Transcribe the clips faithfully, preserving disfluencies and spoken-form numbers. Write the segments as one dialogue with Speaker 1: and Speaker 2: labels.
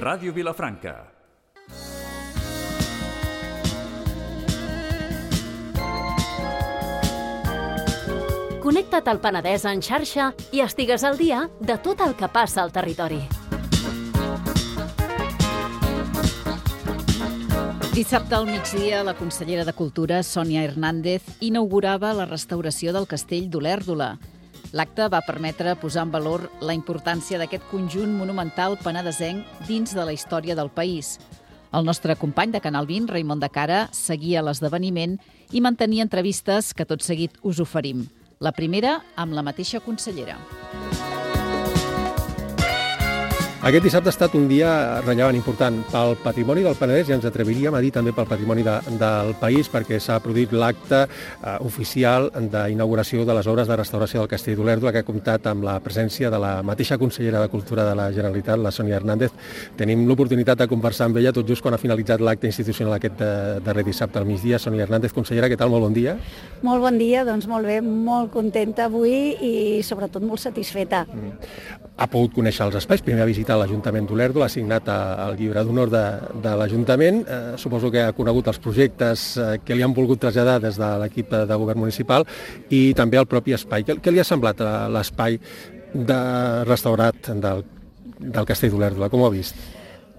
Speaker 1: Ràdio Vilafranca.
Speaker 2: Connecta't al Penedès en xarxa i estigues al dia de tot el que passa al territori.
Speaker 3: Dissabte al migdia, la consellera de Cultura, Sònia Hernández, inaugurava la restauració del castell d'Olèrdola. L'acte va permetre posar en valor la importància d'aquest conjunt monumental penedesenc dins de la història del país. El nostre company de Canal vint, Raimon de Cara, seguia l'esdeveniment i mantenia entrevistes que tot seguit us oferim. La primera amb la mateixa consellera.
Speaker 4: Aquest dissabte ha estat un dia rellevant, important pel patrimoni del Penedès i ens atreviríem a dir també pel patrimoni de, del país, perquè s'ha produït l'acte eh, oficial d'inauguració de les obres de restauració del castell d'Olèrdola, que ha comptat amb la presència de la mateixa consellera de Cultura de la Generalitat, la Sònia Hernández. Tenim l'oportunitat de conversar amb ella tot just quan ha finalitzat l'acte institucional aquest de, darrer dissabte al migdia. Sònia Hernández, consellera, què tal? Molt bon dia.
Speaker 5: Molt bon dia, doncs molt bé, molt contenta avui i sobretot molt satisfeta.
Speaker 4: Mm. Ha pogut conèixer els espais, primer ha visitat l'Ajuntament d'Olèrdola, ha signat el llibre d'honor de, de l'Ajuntament. Eh, suposo que ha conegut els projectes eh, que li han volgut traslladar des de l'equip de govern municipal i també el propi espai. Què, què li ha semblat l'espai de restaurat del, del castell d'Olèrdola? Com ho ha vist?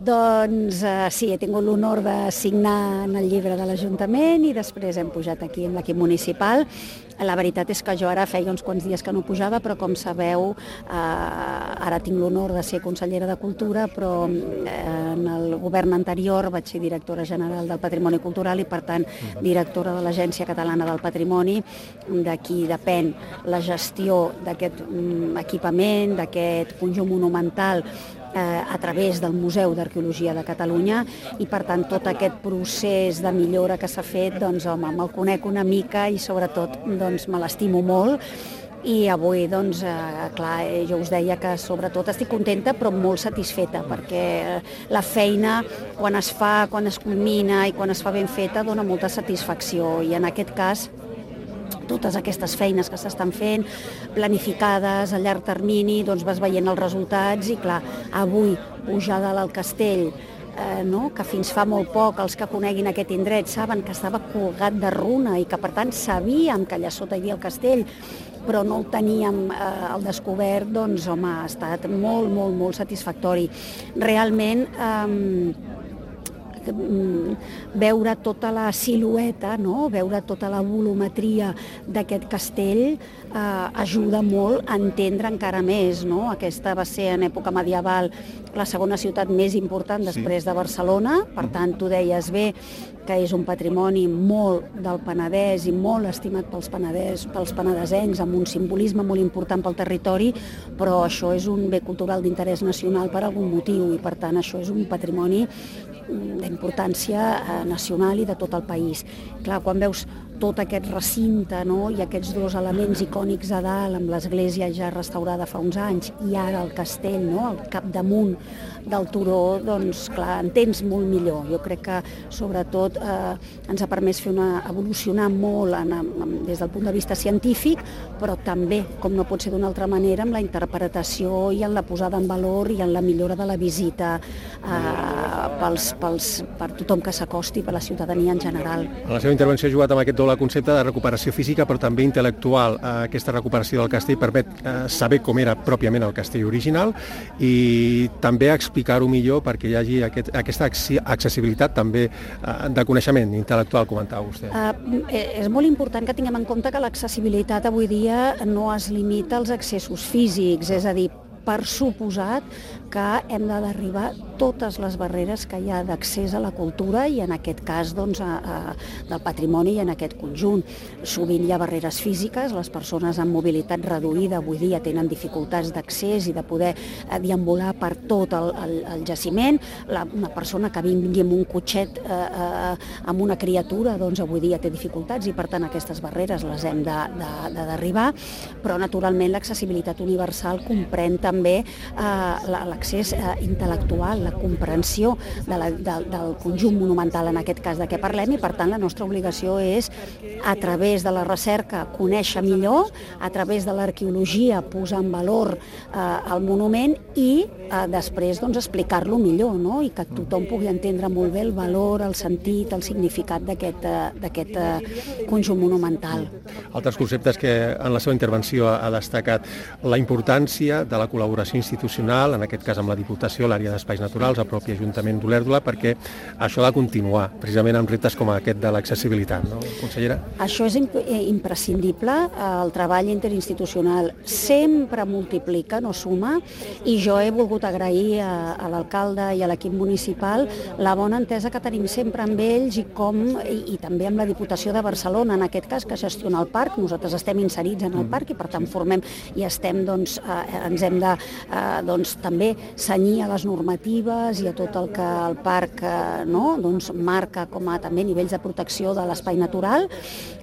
Speaker 5: Doncs eh, sí, he tingut l'honor de signar en el llibre de l'Ajuntament i després hem pujat aquí amb l'equip municipal. La veritat és que jo ara feia uns quants dies que no pujava, però com sabeu, eh, ara tinc l'honor de ser consellera de Cultura, però eh, en el govern anterior vaig ser directora general del Patrimoni Cultural i, per tant, directora de l'Agència Catalana del Patrimoni, de qui depèn la gestió d'aquest mm, equipament, d'aquest conjunt monumental, a través del Museu d'Arqueologia de Catalunya i, per tant, tot aquest procés de millora que s'ha fet, doncs, home, me'l conec una mica i, sobretot, doncs, me l'estimo molt. I avui, doncs, eh, clar, jo us deia que sobretot estic contenta però molt satisfeta, perquè la feina, quan es fa, quan es culmina i quan es fa ben feta, dona molta satisfacció i, en aquest cas, totes aquestes feines que s'estan fent, planificades a llarg termini, doncs vas veient els resultats i, clar, avui pujar dalt al castell, eh, no? que fins fa molt poc els que coneguin aquest indret saben que estava colgat de runa i que, per tant, sabíem que allà sota hi havia el castell, però no el teníem eh, al descobert, doncs, home, ha estat molt, molt, molt satisfactori. Realment, eh, veure tota la silueta, no? Veure tota la volumetria d'aquest castell eh, ajuda molt a entendre encara més, no? Aquesta va ser en època medieval la segona ciutat més important després de Barcelona, per tant, tu deies bé que és un patrimoni molt del Penedès i molt estimat pels penedès, pels penedesencs, amb un simbolisme molt important pel territori, però això és un bé cultural d'interès nacional per algun motiu i, per tant, això és un patrimoni d'importància nacional i de tot el país. Clar, quan veus tot aquest recinte, no? I aquests dos elements icònics a dalt, amb l'església ja restaurada fa uns anys i ara el castell, no? Al capdamunt del turó, doncs clar, entens molt millor. Jo crec que sobretot eh, ens ha permès fer una, evolucionar molt en, en, des del punt de vista científic, però també, com no pot ser d'una altra manera, amb la interpretació i en la posada en valor i en la millora de la visita eh, pels, pels, per tothom que s'acosti, per la ciutadania en general.
Speaker 4: En la seva intervenció ha jugat amb aquest doble concepte de recuperació física però també intel·lectual. Aquesta recuperació del castell permet eh, saber com era pròpiament el castell original i també explicar-ho millor perquè hi hagi aquest, aquesta accessibilitat també eh, de coneixement intel·lectual, comentava vostè.
Speaker 5: Uh, és molt important que tinguem en compte que l'accessibilitat avui dia no es limita als accessos físics, és a dir, per suposat que hem de derribar totes les barreres que hi ha d'accés a la cultura i en aquest cas doncs, a, a, del patrimoni i en aquest conjunt. Sovint hi ha barreres físiques, les persones amb mobilitat reduïda avui dia tenen dificultats d'accés i de poder deambular per tot el, el, el jaciment. La, una persona que vingui amb un cotxet eh, eh, amb una criatura doncs avui dia té dificultats i per tant aquestes barreres les hem de, de, de derribar, però naturalment l'accessibilitat universal comprèn també també eh, l'accés eh, intel·lectual, la comprensió de la, de, del conjunt monumental, en aquest cas de què parlem, i per tant la nostra obligació és, a través de la recerca, conèixer millor, a través de l'arqueologia posar en valor eh, el monument i eh, després doncs, explicar-lo millor, no? I que tothom pugui entendre molt bé el valor, el sentit, el significat d'aquest d'aquest eh, conjunt monumental.
Speaker 4: Altres conceptes que en la seva intervenció ha destacat la importància de la col·laboració institucional, en aquest cas amb la Diputació, l'àrea d'Espais Naturals, el propi Ajuntament d'Olèrdola, perquè això ha de continuar, precisament amb reptes com aquest de l'accessibilitat, no, consellera?
Speaker 5: Això és imp imprescindible, el treball interinstitucional sempre multiplica, no suma, i jo he volgut agrair a, a l'alcalde i a l'equip municipal la bona entesa que tenim sempre amb ells i com i, i també amb la Diputació de Barcelona, en aquest cas, que gestiona el parc. Nosaltres estem inserits en el parc i per tant formem i estem, doncs, eh, ens hem de eh, doncs, també cenyir a les normatives i a tot el que el parc eh, no, doncs, marca com a també nivells de protecció de l'espai natural,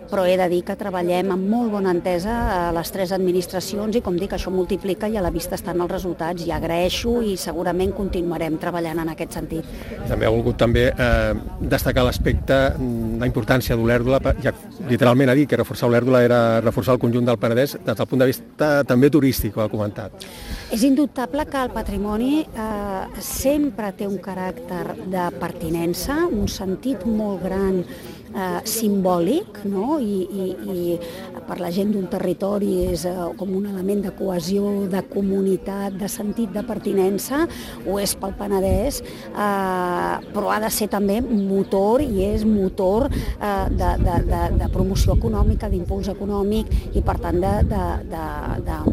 Speaker 5: però he de dir que treballem amb molt bona entesa a les tres administracions i, com dic, això multiplica i a la vista estan els resultats, i agraeixo i segurament continuarem treballant en aquest sentit.
Speaker 4: També ha volgut també eh, destacar l'aspecte, la importància d'Olèrdola, ja literalment ha dit que reforçar Olèrdola era reforçar el conjunt del Penedès des del punt de vista també turístic, ho ha comentat.
Speaker 5: És indubtable que el patrimoni eh, sempre té un caràcter de pertinença, un sentit molt gran eh, simbòlic, no? I, i, i per la gent d'un territori és eh, com un element de cohesió, de comunitat, de sentit de pertinença, ho és pel Penedès, eh, però ha de ser també motor i és motor eh, de, de, de, de promoció econòmica, d'impuls econòmic i per tant de, de, de, de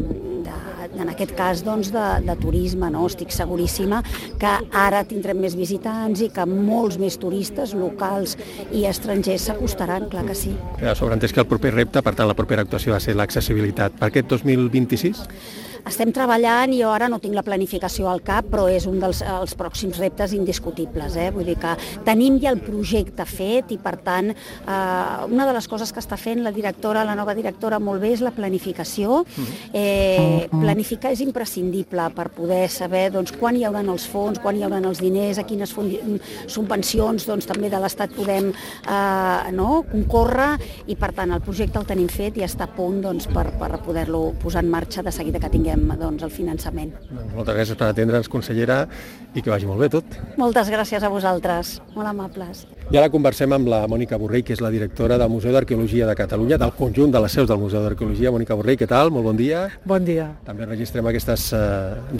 Speaker 5: en aquest cas doncs, de, de turisme, no? Estic seguríssima que ara tindrem més visitants i que molts més turistes locals i estrangers s'acostaran, clar que sí.
Speaker 4: Queda sobreentès que el proper repte, per tant la propera actuació va ser l'accessibilitat. Per aquest dos mil vint-i-sis?
Speaker 5: Estem treballant, jo ara no tinc la planificació al cap, però és un dels els pròxims reptes indiscutibles. Eh? Vull dir que tenim ja el projecte fet i, per tant, eh, una de les coses que està fent la directora, la nova directora, molt bé, és la planificació. Eh, planificar és imprescindible per poder saber doncs, quan hi haurà els fons, quan hi haurà els diners, a quines subvencions doncs, també de l'Estat podem eh, no? concórrer, i, per tant, el projecte el tenim fet i està a punt doncs, per, per poder-lo posar en marxa de seguida que tinguem doncs, el finançament.
Speaker 4: Moltes gràcies per atendre'ns, consellera, i que vagi molt bé tot.
Speaker 5: Moltes gràcies a vosaltres, molt amables.
Speaker 4: I ara conversem amb la Mònica Borrell, que és la directora del Museu d'Arqueologia de Catalunya, del conjunt de les seus del Museu d'Arqueologia. Mònica Borrell, què tal? Molt bon dia.
Speaker 1: Bon dia.
Speaker 4: També registrem aquestes eh,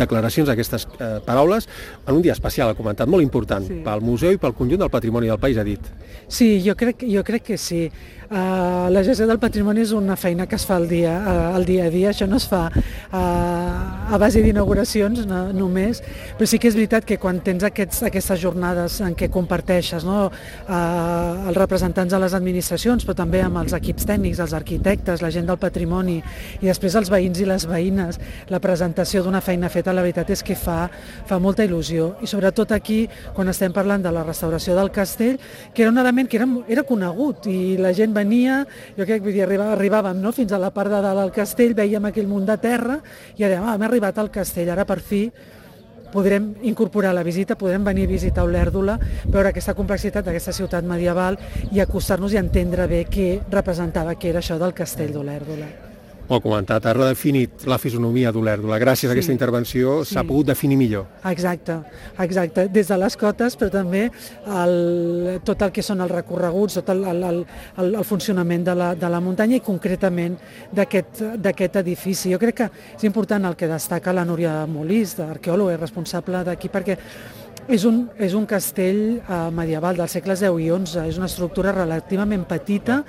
Speaker 4: declaracions, aquestes eh, paraules, en un dia especial, ha comentat, molt important, sí. Pel museu i pel conjunt del patrimoni del país, ha dit.
Speaker 1: Sí, jo crec, jo crec que sí. Uh, la gestió del patrimoni és una feina que es fa al dia, uh, al dia a dia, això no es fa uh, a base d'inauguracions no, només, però sí que és veritat que quan tens aquests, aquestes jornades en què comparteixes no, uh, els representants de les administracions, però també amb els equips tècnics, els arquitectes, la gent del patrimoni i després els veïns i les veïnes, la presentació d'una feina feta, la veritat és que fa, fa molta il·lusió, i sobretot aquí, quan estem parlant de la restauració del castell, que era un element que era, era conegut i la gent venia, jo crec que arribàvem, arribàvem no? fins a la part de dalt del castell, veiem aquell munt de terra i ara ah, hem arribat al castell, ara per fi podrem incorporar la visita, podrem venir a visitar Olèrdola, veure aquesta complexitat d'aquesta ciutat medieval i acostar-nos i entendre bé què representava, què era això del castell d'Olèrdola.
Speaker 4: Ho ha comentat, ha redefinit la fisonomia d'Olèrdola. Gràcies a aquesta sí, intervenció s'ha sí. pogut definir millor.
Speaker 1: Exacte, exacte. Des de les cotes, però també el, tot el que són els recorreguts, tot el, el, el, el funcionament de la, de la muntanya i concretament d'aquest edifici. Jo crec que és important el que destaca la Núria Molís, arqueòloga i responsable d'aquí, perquè és un, és un castell eh, medieval dels segles deu i onze, és una estructura relativament petita,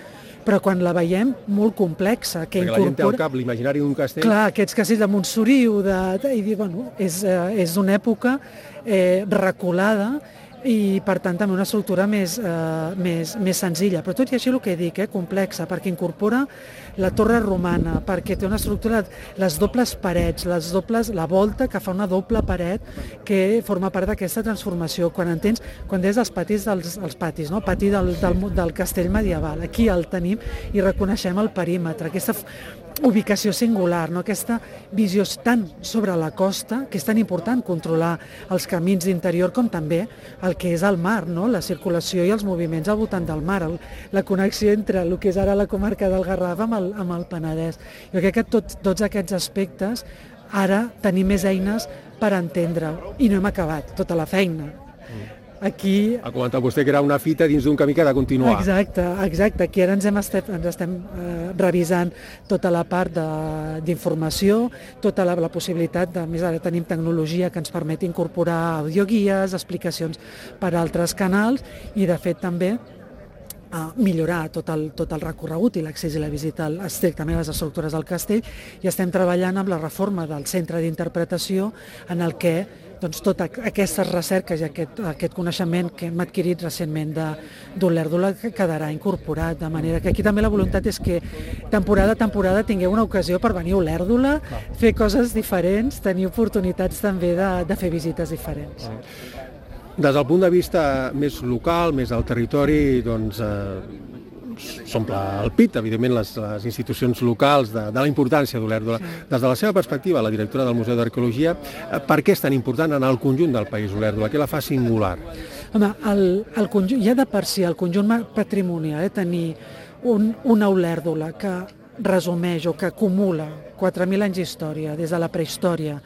Speaker 1: però quan la veiem molt complexa. Que
Speaker 4: perquè incorpora... la gent té al cap l'imaginari d'un castell.
Speaker 1: Clar, aquests castells de Montsoriu, de... i bueno, és, eh, és d'una època eh, reculada i per tant també una estructura més, eh, més, més senzilla, però tot i així el que dic, eh, complexa, perquè incorpora la torre romana, perquè té una estructura, les dobles parets, les dobles, la volta que fa una doble paret que forma part d'aquesta transformació. Quan entens, quan des dels patis dels els patis, no? Pati del, del, del castell medieval, aquí el tenim i reconeixem el perímetre, aquesta ubicació singular, no? Aquesta visió tan sobre la costa, que és tan important controlar els camins d'interior com també el que és el mar, no? La circulació i els moviments al voltant del mar, el, la connexió entre el que és ara la comarca del Garraf amb el, amb el Penedès. Jo crec que tot, tots aquests aspectes ara tenim més eines per entendre-ho i no hem acabat tota la feina. Aquí...
Speaker 4: Ha comentat vostè que era una fita dins d'un camí que ha de continuar.
Speaker 1: Exacte, exacte. Aquí ara ens, hem estat, ens estem eh, revisant tota la part d'informació, tota la, la possibilitat de, més ara tenim tecnologia que ens permet incorporar audioguies, explicacions per altres canals i de fet també a millorar tot el, tot el recorregut i l'accés i la visita estrictament a les estructures del castell i estem treballant amb la reforma del centre d'interpretació en el que doncs, totes aquestes recerques i aquest, aquest coneixement que hem adquirit recentment d'Olèrdola quedarà incorporat, de manera que aquí també la voluntat és que temporada a temporada tingueu una ocasió per venir a Olèrdola, fer coses diferents, tenir oportunitats també de, de fer visites diferents.
Speaker 4: Des del punt de vista més local, més del territori, doncs eh, s'omple el pit, evidentment, les, les institucions locals de, de la importància d'Olèrdola. Sí. Des de la seva perspectiva, la directora del Museu d'Arqueologia, eh, per què és tan important en el conjunt del país Olèrdola? Què la fa singular?
Speaker 1: Home, el, el conjunt, ja de per si el conjunt patrimonial, eh, tenir un, una Olèrdola que resumeix o que acumula quatre mil anys d'història, des de la prehistòria,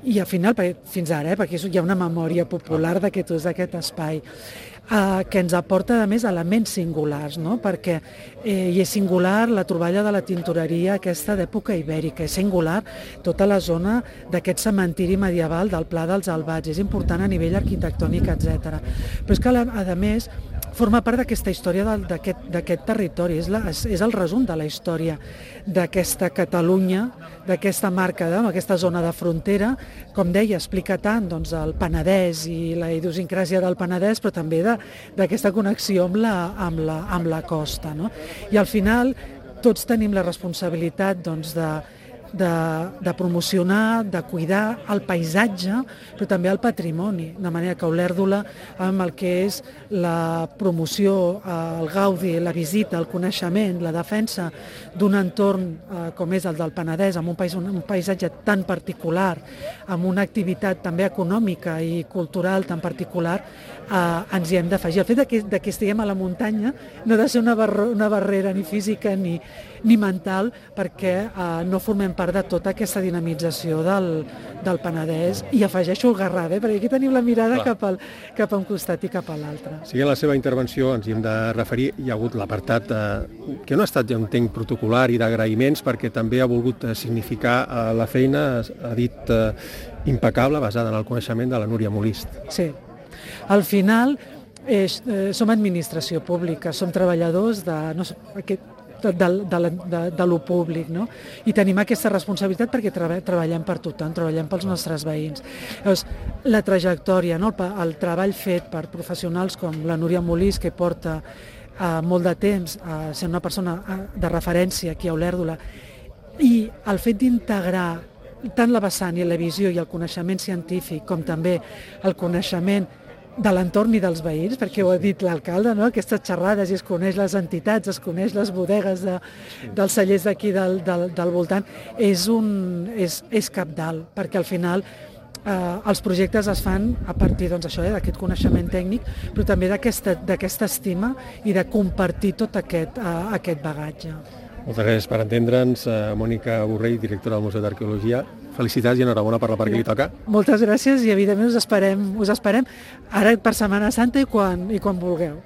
Speaker 1: i al final, fins ara, eh, perquè hi ha una memòria popular d'aquest ús d'aquest espai, eh, que ens aporta, a més, elements singulars, no? Perquè eh, hi és singular la troballa de la tintoreria aquesta d'època ibèrica, és singular tota la zona d'aquest cementiri medieval del Pla dels Albats, és important a nivell arquitectònic, etcètera. Però és que, a més, forma part d'aquesta història d'aquest territori, és, la, és, és el resum de la història d'aquesta Catalunya, d'aquesta marca, d'aquesta zona de frontera, com deia, explica tant doncs, el Penedès i la idiosincràsia del Penedès, però també d'aquesta connexió amb la, amb la, amb la costa. No? I al final tots tenim la responsabilitat doncs, de, de, de promocionar, de cuidar el paisatge, però també el patrimoni, de manera que Olèrdola, amb el que és la promoció, el gaudi, la visita, el coneixement, la defensa d'un entorn eh, com és el del Penedès, amb un, pais, un, un paisatge tan particular, amb una activitat també econòmica i cultural tan particular, eh, ens hi hem d'afegir. El fet de que, de que estiguem a la muntanya no ha de ser una, bar una barrera ni física ni, ni mental, perquè eh, no formem part de tota aquesta dinamització del, del Penedès, i afegeixo el Garraf, eh? Perquè aquí tenim la mirada cap, al, cap a un costat i cap a l'altre.
Speaker 4: Sí, en la seva intervenció ens hi hem de referir, hi ha hagut l'apartat eh, que no ha estat, ja entenc, protocolar i d'agraïments, perquè també ha volgut significar eh, la feina, ha dit, eh, impecable, basada en el coneixement de la Núria Molist.
Speaker 1: Sí. Al final eh, som administració pública, som treballadors de, no sé, aquest, de, de, de, de lo públic, no? I tenim aquesta responsabilitat perquè treba, treballem per tothom, treballem pels nostres veïns. Llavors, la trajectòria, no? el, el treball fet per professionals com la Núria Molist, que porta eh, molt de temps a ser una persona de referència aquí a Olèrdola, i el fet d'integrar tant la vessant i la visió i el coneixement científic com també el coneixement de l'entorn i dels veïns, perquè ho ha dit l'alcalde, no? Aquestes xerrades, i es coneix les entitats, es coneix les bodegues de, dels cellers d'aquí del, del, del voltant, és, un, és, és cabdal, perquè al final eh, els projectes es fan a partir doncs, això, eh, d'aquest coneixement tècnic, però també d'aquesta estima i de compartir tot aquest, eh, aquest bagatge.
Speaker 4: Moltes gràcies per entendre'ns. Mònica Borrell, directora del Museu d'Arqueologia. Felicitats i enhorabona per la part que li toca.
Speaker 1: Moltes gràcies i evidentment us esperem, us esperem ara per Setmana Santa i quan, i quan vulgueu.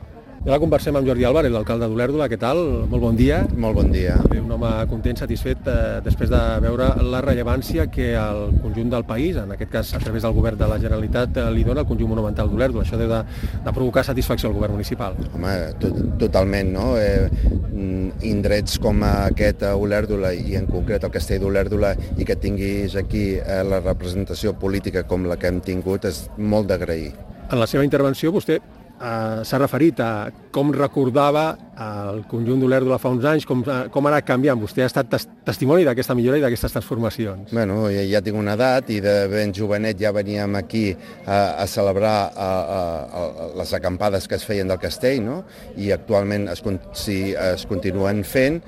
Speaker 4: I ara conversem amb Jordi Álvarez, l'alcalde d'Olèrdola. Què tal? Molt bon dia.
Speaker 6: Molt bon dia.
Speaker 4: Un home content, satisfet, eh, després de veure la rellevància que el conjunt del país, en aquest cas a través del govern de la Generalitat, eh, li dona al conjunt monumental d'Olèrdola. Això deu de, de provocar satisfacció al govern municipal.
Speaker 6: Home, tot, totalment, no? Eh, indrets com aquest a Olèrdola, i en concret el castell d'Olèrdola, i que tinguis aquí eh, la representació política com la que hem tingut, és molt d'agrair.
Speaker 4: En la seva intervenció vostè Uh, s'ha referit a com recordava el conjunt d'Olèrdola fa uns anys, com, com ha anat canviant. Vostè ha estat tes testimoni d'aquesta millora i d'aquestes transformacions.
Speaker 6: Bueno, ja, ja tinc una edat i de ben jovenet ja veníem aquí a, a celebrar a, a, a les acampades que es feien del castell, no? I actualment es, si, es continuen fent,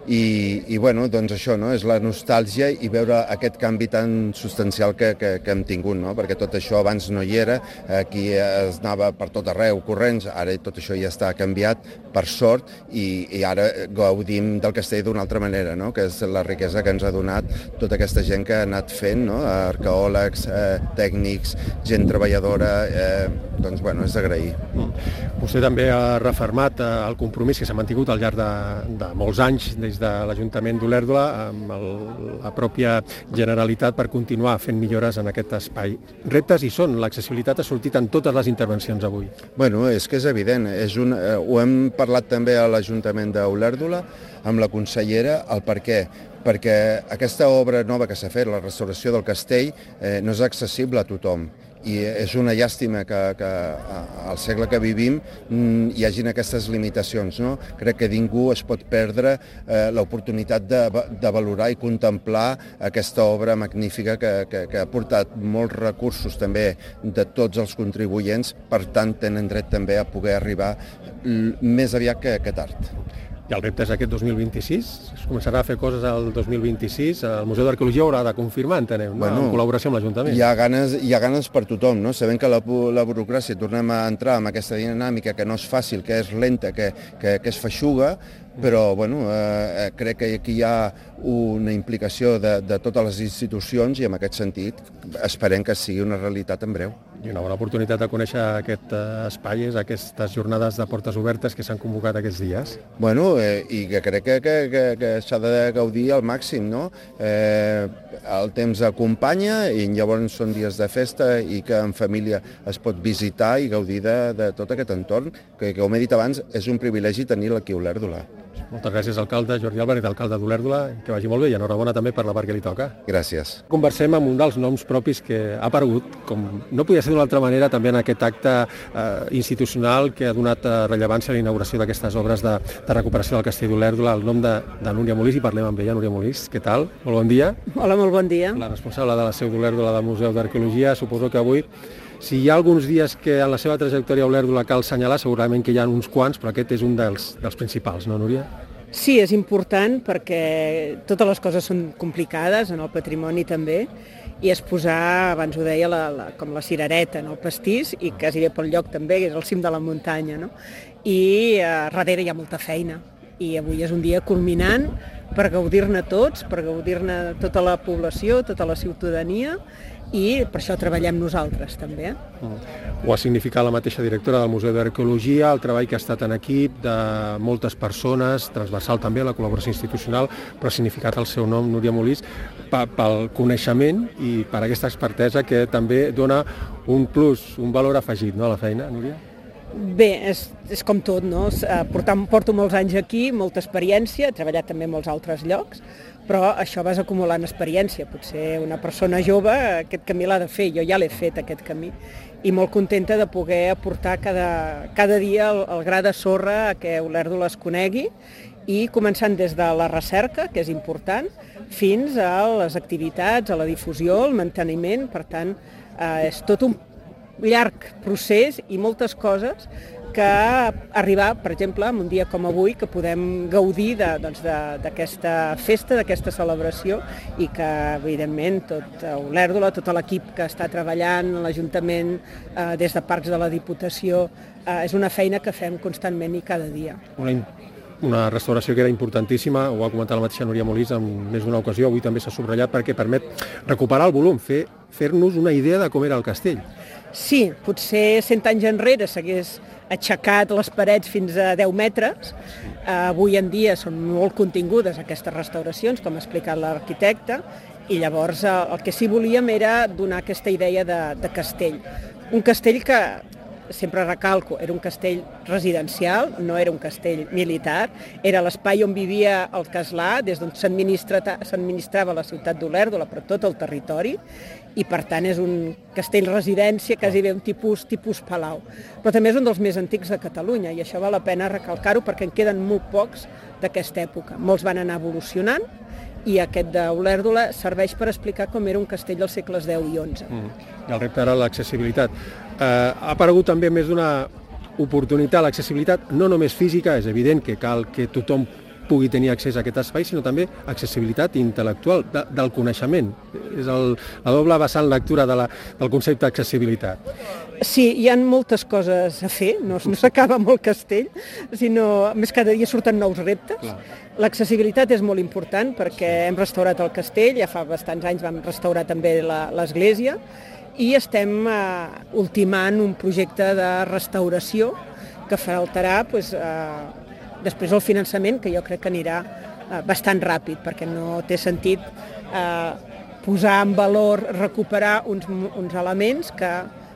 Speaker 6: i, i bueno, doncs això, no? És la nostàlgia i veure aquest canvi tan substancial que, que, que hem tingut, no? Perquè tot això abans no hi era, aquí es anava per tot arreu corrents, ara tot això ja està canviat, per sort, i, i ara gaudim del castell d'una altra manera, no? Que és la riquesa que ens ha donat tota aquesta gent que ha anat fent, no? Arqueòlegs, eh, tècnics, gent treballadora, eh, doncs bueno, és d'agrair.
Speaker 4: Vostè també ha refermat el compromís que s'ha mantingut al llarg de, de molts anys des de l'Ajuntament d'Olèrdola amb el, la pròpia Generalitat per continuar fent millores en aquest espai. Reptes hi són, l'accessibilitat ha sortit en totes les intervencions avui.
Speaker 6: Bueno, és que és evident, és un, eh, ho hem parlat també a l'Ajuntament d'Olèrdola amb la consellera, el per què. Perquè aquesta obra nova que s'ha fet, la restauració del castell, eh, no és accessible a tothom. I és una llàstima que, que al segle que vivim hi hagin aquestes limitacions, no? Crec que ningú es pot perdre eh, l'oportunitat de, de valorar i contemplar aquesta obra magnífica que, que, que ha portat molts recursos també de tots els contribuents, per tant tenen dret també a poder arribar més aviat que, que tard.
Speaker 4: I el repte és aquest dos mil vint-i-sis, es començarà a fer coses al dos mil vint-i-sis, el Museu d'Arqueologia haurà de confirmar, entenem, no?
Speaker 6: Bueno,
Speaker 4: en col·laboració amb l'Ajuntament.
Speaker 6: Hi ha ganes, hi ha ganes per tothom, no? Sabem que la, la burocràcia, tornem a entrar en aquesta dinàmica que no és fàcil, que és lenta, que, que, que és feixuga, però bueno, eh, crec que aquí hi ha una implicació de, de totes les institucions i en aquest sentit esperem que sigui una realitat en breu.
Speaker 4: I una bona oportunitat de conèixer aquest espai és aquestes jornades de portes obertes que s'han convocat aquests dies.
Speaker 6: Bueno, eh, i que crec que, que, que, que s'ha de gaudir al màxim, no? Eh, el temps acompanya i llavors són dies de festa i que en família es pot visitar i gaudir de, de tot aquest entorn, que, que com he dit abans, és un privilegi tenir-lo aquí a Olèrdola.
Speaker 4: Moltes gràcies, alcalde Jordi Álvarez, alcalde d'Olèrdola, que vagi molt bé i enhorabona també per la part que li toca.
Speaker 6: Gràcies.
Speaker 4: Conversem amb un dels noms propis que ha aparegut, com no podia ser d'una altra manera, també en aquest acte eh, institucional que ha donat eh, rellevància a la inauguració d'aquestes obres de, de recuperació del castell d'Olèrdola, el nom de, de Núria Molís, i parlem amb ella. Núria Molís, què tal? Molt bon dia.
Speaker 7: Hola, molt bon dia.
Speaker 4: La responsable de la seu d'Olèrdola del Museu d'Arqueologia, suposo que avui, si hi ha alguns dies que en la seva trajectòria a Olèrdola cal assenyalar, segurament que hi ha uns quants, però aquest és un dels, dels principals, no, Núria?
Speaker 7: Sí, és important perquè totes les coses són complicades, en el patrimoni també, i és posar, abans ho deia, la, la, com la cirereta en el pastís, i quasi bé pel lloc també, que és el cim de la muntanya, no? I eh, darrere hi ha molta feina, i avui és un dia culminant per gaudir-ne tots, per gaudir-ne tota la població, tota la ciutadania, i per això treballem nosaltres també.
Speaker 4: Ho ha significat la mateixa directora del Museu d'Arqueologia, el treball que ha estat en equip de moltes persones, transversal també, la col·laboració institucional, però ha significat el seu nom, Núria Molís, pel coneixement i per aquesta expertesa que també dona un plus, un valor afegit, no, a la feina, Núria?
Speaker 7: Bé, és, és com tot, no? Portam, porto molts anys aquí, molta experiència, he treballat també en molts altres llocs, però això vas acumulant experiència. Potser una persona jove aquest camí l'ha de fer, jo ja l'he fet aquest camí, i molt contenta de poder aportar cada, cada dia el, el gra de sorra a que Olèrdola es conegui, i començant des de la recerca, que és important, fins a les activitats, a la difusió, el manteniment. Per tant, eh, és tot un llarg procés i moltes coses que arribar, per exemple, en un dia com avui, que podem gaudir d'aquesta doncs, festa, d'aquesta celebració, i que, evidentment, tot Olèrdola, tot l'equip que està treballant, l'Ajuntament, eh, des de Parcs de la Diputació, eh, és una feina que fem constantment i cada dia.
Speaker 4: Una, una restauració que era importantíssima, ho ha comentat la mateixa Núria Molís en més d'una ocasió, avui també s'ha subratllat, perquè permet recuperar el volum, fer, fer-nos una idea de com era el castell.
Speaker 7: Sí, potser cent anys enrere s'hagués aixecat les parets fins a deu metres. Avui en dia són molt contingudes aquestes restauracions, com ha explicat l'arquitecte, i llavors el que sí volíem era donar aquesta idea de, de castell. Un castell que, sempre recalco, era un castell residencial, no era un castell militar, era l'espai on vivia el castlà, des d'on s'administrava la ciutat d'Olèrdola, per tot el territori, i per tant és un castell residència, quasi bé un tipus, tipus palau. Però també és un dels més antics de Catalunya, i això val la pena recalcar-ho perquè en queden molt pocs d'aquesta època. Molts van anar evolucionant, i aquest d'Olèrdola serveix per explicar com era un castell dels segles deu i onze.
Speaker 4: Mm. I el repte era l'accessibilitat. Eh, ha aparegut també més d'una oportunitat, l'accessibilitat no només física, és evident que cal que tothom pugui tenir accés a aquest espai, sinó també accessibilitat intel·lectual de, del coneixement. És el, la doble vessant lectura de la, del concepte d'accessibilitat.
Speaker 7: Sí, hi ha moltes coses a fer, no, no s'acaba amb el castell, sinó més cada dia surten nous reptes. Clar. L'accessibilitat és molt important perquè hem restaurat el castell, ja fa bastants anys vam restaurar també l'església i estem eh, ultimant un projecte de restauració que faltarà pues, eh, després el finançament, que jo crec que anirà eh, bastant ràpid, perquè no té sentit eh, posar en valor, recuperar uns, uns elements que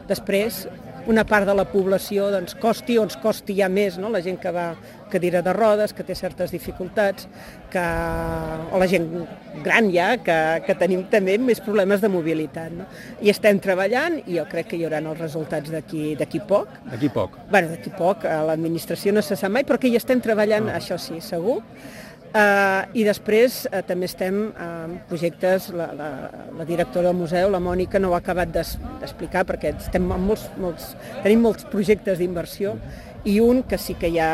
Speaker 7: després una part de la població doncs, costi o ens costi ja més, no? La gent que va cadira de rodes, que té certes dificultats, que... o la gent gran ja, que, que tenim també més problemes de mobilitat. No? I estem treballant i jo crec que hi haurà els resultats d'aquí d'aquí poc.
Speaker 4: D'aquí poc?
Speaker 7: Bueno, d'aquí poc, a l'administració no se sap mai, però que hi estem treballant, ah. això sí, segur. Uh, I després uh, també estem en uh, projectes, la, la, la directora del museu, la Mònica, no ho ha acabat d'explicar perquè estem amb molts, molts, tenim molts projectes d'inversió i un que sí que ja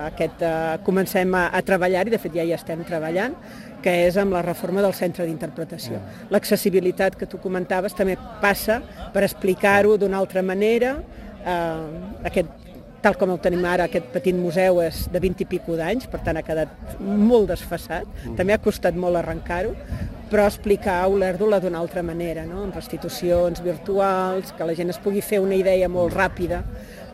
Speaker 7: aquest, uh, comencem a, a treballar i de fet ja hi estem treballant, que és amb la reforma del centre d'interpretació. L'accessibilitat que tu comentaves també passa per explicar-ho d'una altra manera, uh, aquest tal com el tenim ara, aquest petit museu és de vint i pico d'anys, per tant ha quedat molt desfasat, també ha costat molt arrencar-ho, però explicar Olèrdola d'una altra manera, no? Amb restitucions virtuals, que la gent es pugui fer una idea molt ràpida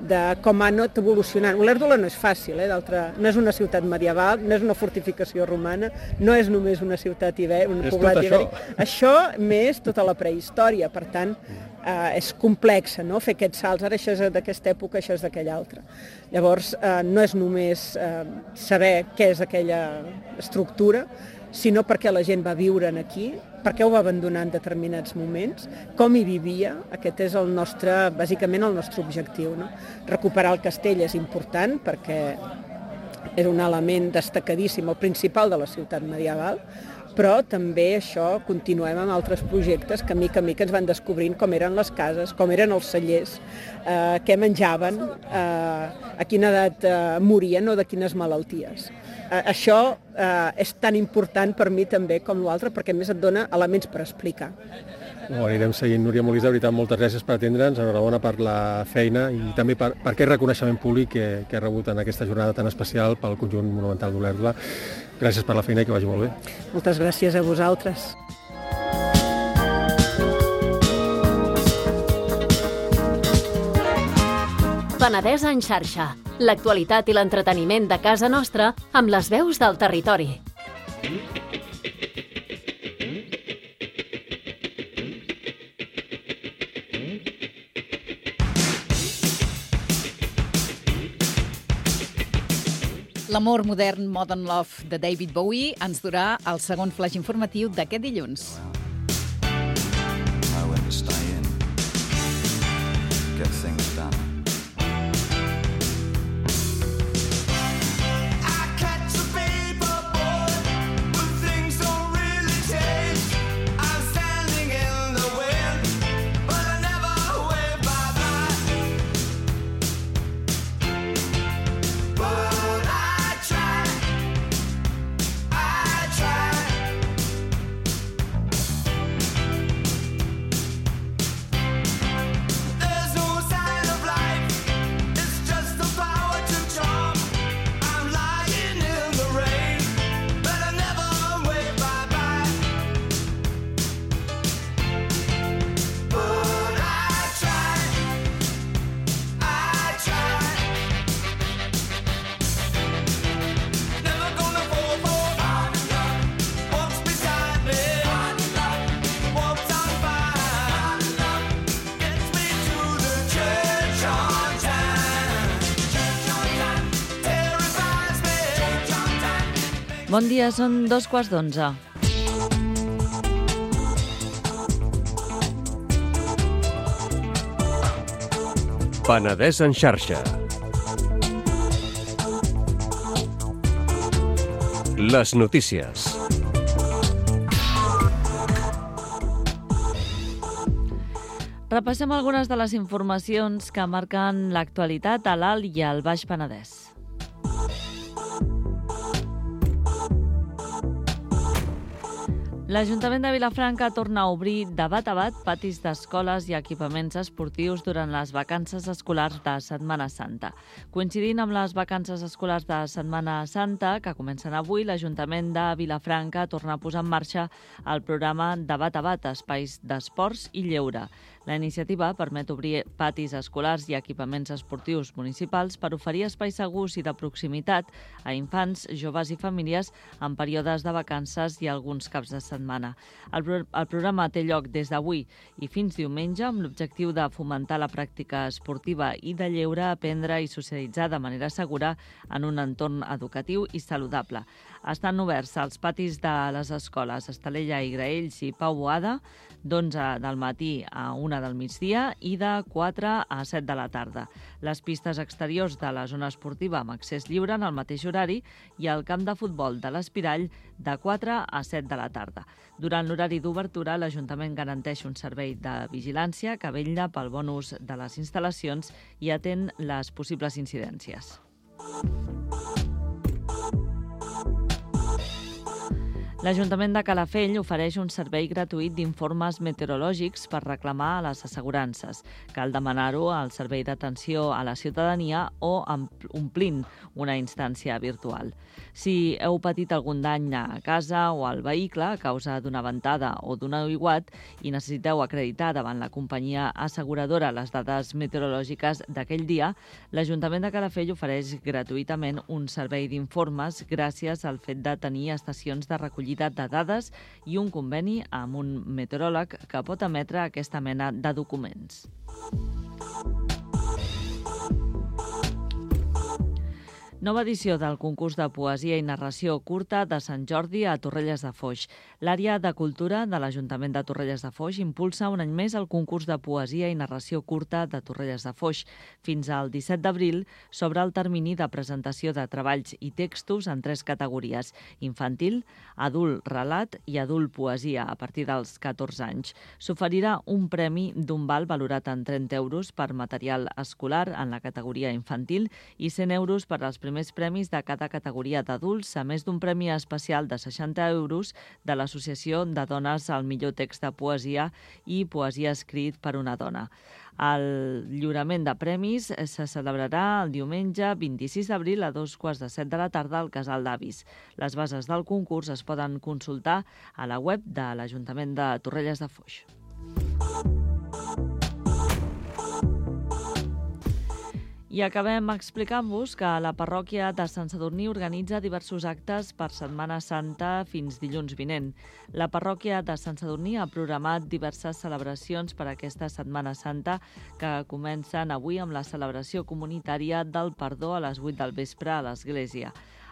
Speaker 7: de com ha anat evolucionant. Olèrdola no és fàcil, eh? no és una ciutat medieval, no és una fortificació romana, no és només una ciutat ibèrica, un poblat ibèric. Això més tota la prehistòria, per tant, eh, és complexa, no? Fer aquests salts, ara això és d'aquesta època, això és d'aquella altra. Llavors, eh, no és només eh, saber què és aquella estructura, sinó perquè la gent va viure aquí, perquè ho va abandonar en determinats moments, com hi vivia, aquest és el nostre, bàsicament el nostre objectiu. No? Recuperar el castell és important perquè és un element destacadíssim, el principal de la ciutat medieval, però també això continuem amb altres projectes que a mica a mica ens van descobrint com eren les cases, com eren els cellers, eh, què menjaven, eh, a quina edat eh, morien o de quines malalties. Eh, això eh, és tan important per mi també com l'altre, perquè a més et dona elements per explicar.
Speaker 4: Ho anirem seguint. Núria Molís, de veritat, moltes gràcies per atendre'ns, enhorabona per la feina i també per, per aquest reconeixement públic que, que ha rebut en aquesta jornada tan especial pel conjunt monumental d'Olèrdola. Gràcies per la feina i que vagi molt bé.
Speaker 7: Moltes gràcies a vosaltres.
Speaker 2: Penedès en xarxa. L'actualitat i l'entreteniment de casa nostra amb les veus del territori.
Speaker 3: L'amor modern Modern Love de David Bowie ens durà el segon flash informatiu d'aquest dilluns.
Speaker 8: Bon dia, són dos quarts d'onze.
Speaker 9: Penedès en xarxa. Les notícies.
Speaker 8: Repassem algunes de les informacions que marquen l'actualitat a l'Alt i al Baix Penedès. L'Ajuntament de Vilafranca torna a obrir de bat a bat patis d'escoles i equipaments esportius durant les vacances escolars de Setmana Santa. Coincidint amb les vacances escolars de Setmana Santa, que comencen avui, l'Ajuntament de Vilafranca torna a posar en marxa el programa de bat a bat, espais d'esports i lleure. La iniciativa permet obrir patis escolars i equipaments esportius municipals per oferir espais segurs i de proximitat a infants, joves i famílies en períodes de vacances i alguns caps de setmana. El, pro el programa té lloc des d'avui i fins diumenge amb l'objectiu de fomentar la pràctica esportiva i de lleure, aprendre i socialitzar de manera segura en un entorn educatiu i saludable. Estan oberts als patis de les escoles Estalella i Graells i Pau Boada d'onze del matí a una del migdia i de quatre a set de la tarda. Les pistes exteriors de la zona esportiva amb accés lliure en el mateix horari i el camp de futbol de l'Espirall de quatre a set de la tarda. Durant l'horari d'obertura, l'Ajuntament garanteix un servei de vigilància que vetlla pel bon ús de les instal·lacions i atén les possibles incidències. L'Ajuntament de Calafell ofereix un servei gratuït d'informes meteorològics per reclamar a les assegurances. Cal demanar-ho al Servei d'Atenció a la Ciutadania o omplint una instància virtual. Si heu patit algun dany a casa o al vehicle a causa d'una ventada o d'un aiguat i necessiteu acreditar davant la companyia asseguradora les dades meteorològiques d'aquell dia, l'Ajuntament de Calafell ofereix gratuïtament un servei d'informes gràcies al fet de tenir estacions de recollida de dades i un conveni amb un meteoròleg que pot emetre aquesta mena de documents. Nova edició del concurs de poesia i narració curta de Sant Jordi a Torrelles de Foix. L'àrea de cultura de l'Ajuntament de Torrelles de Foix impulsa un any més el concurs de poesia i narració curta de Torrelles de Foix. Fins al disset d'abril s'obre el termini de presentació de treballs i textos en tres categories: infantil, adult relat i adult poesia a partir dels catorze anys. S'oferirà un premi d'un val valorat en trenta euros per material escolar en la categoria infantil i cent euros per als primers premis de cada categoria d'adults, a més d'un premi especial de seixanta euros de l'Associació de Dones al millor text de poesia i poesia escrit per una dona. El lliurament de premis se celebrarà el diumenge vint-i-sis d'abril a dos quarts de set de la tarda al Casal d'Avis. Les bases del concurs es poden consultar a la web de l'Ajuntament de Torrelles de Foix. I acabem explicant-vos que la parròquia de Sant Sadurní organitza diversos actes per Setmana Santa fins dilluns vinent. La parròquia de Sant Sadurní ha programat diverses celebracions per aquesta Setmana Santa que comencen avui amb la celebració comunitària del perdó a les vuit del vespre a l'església.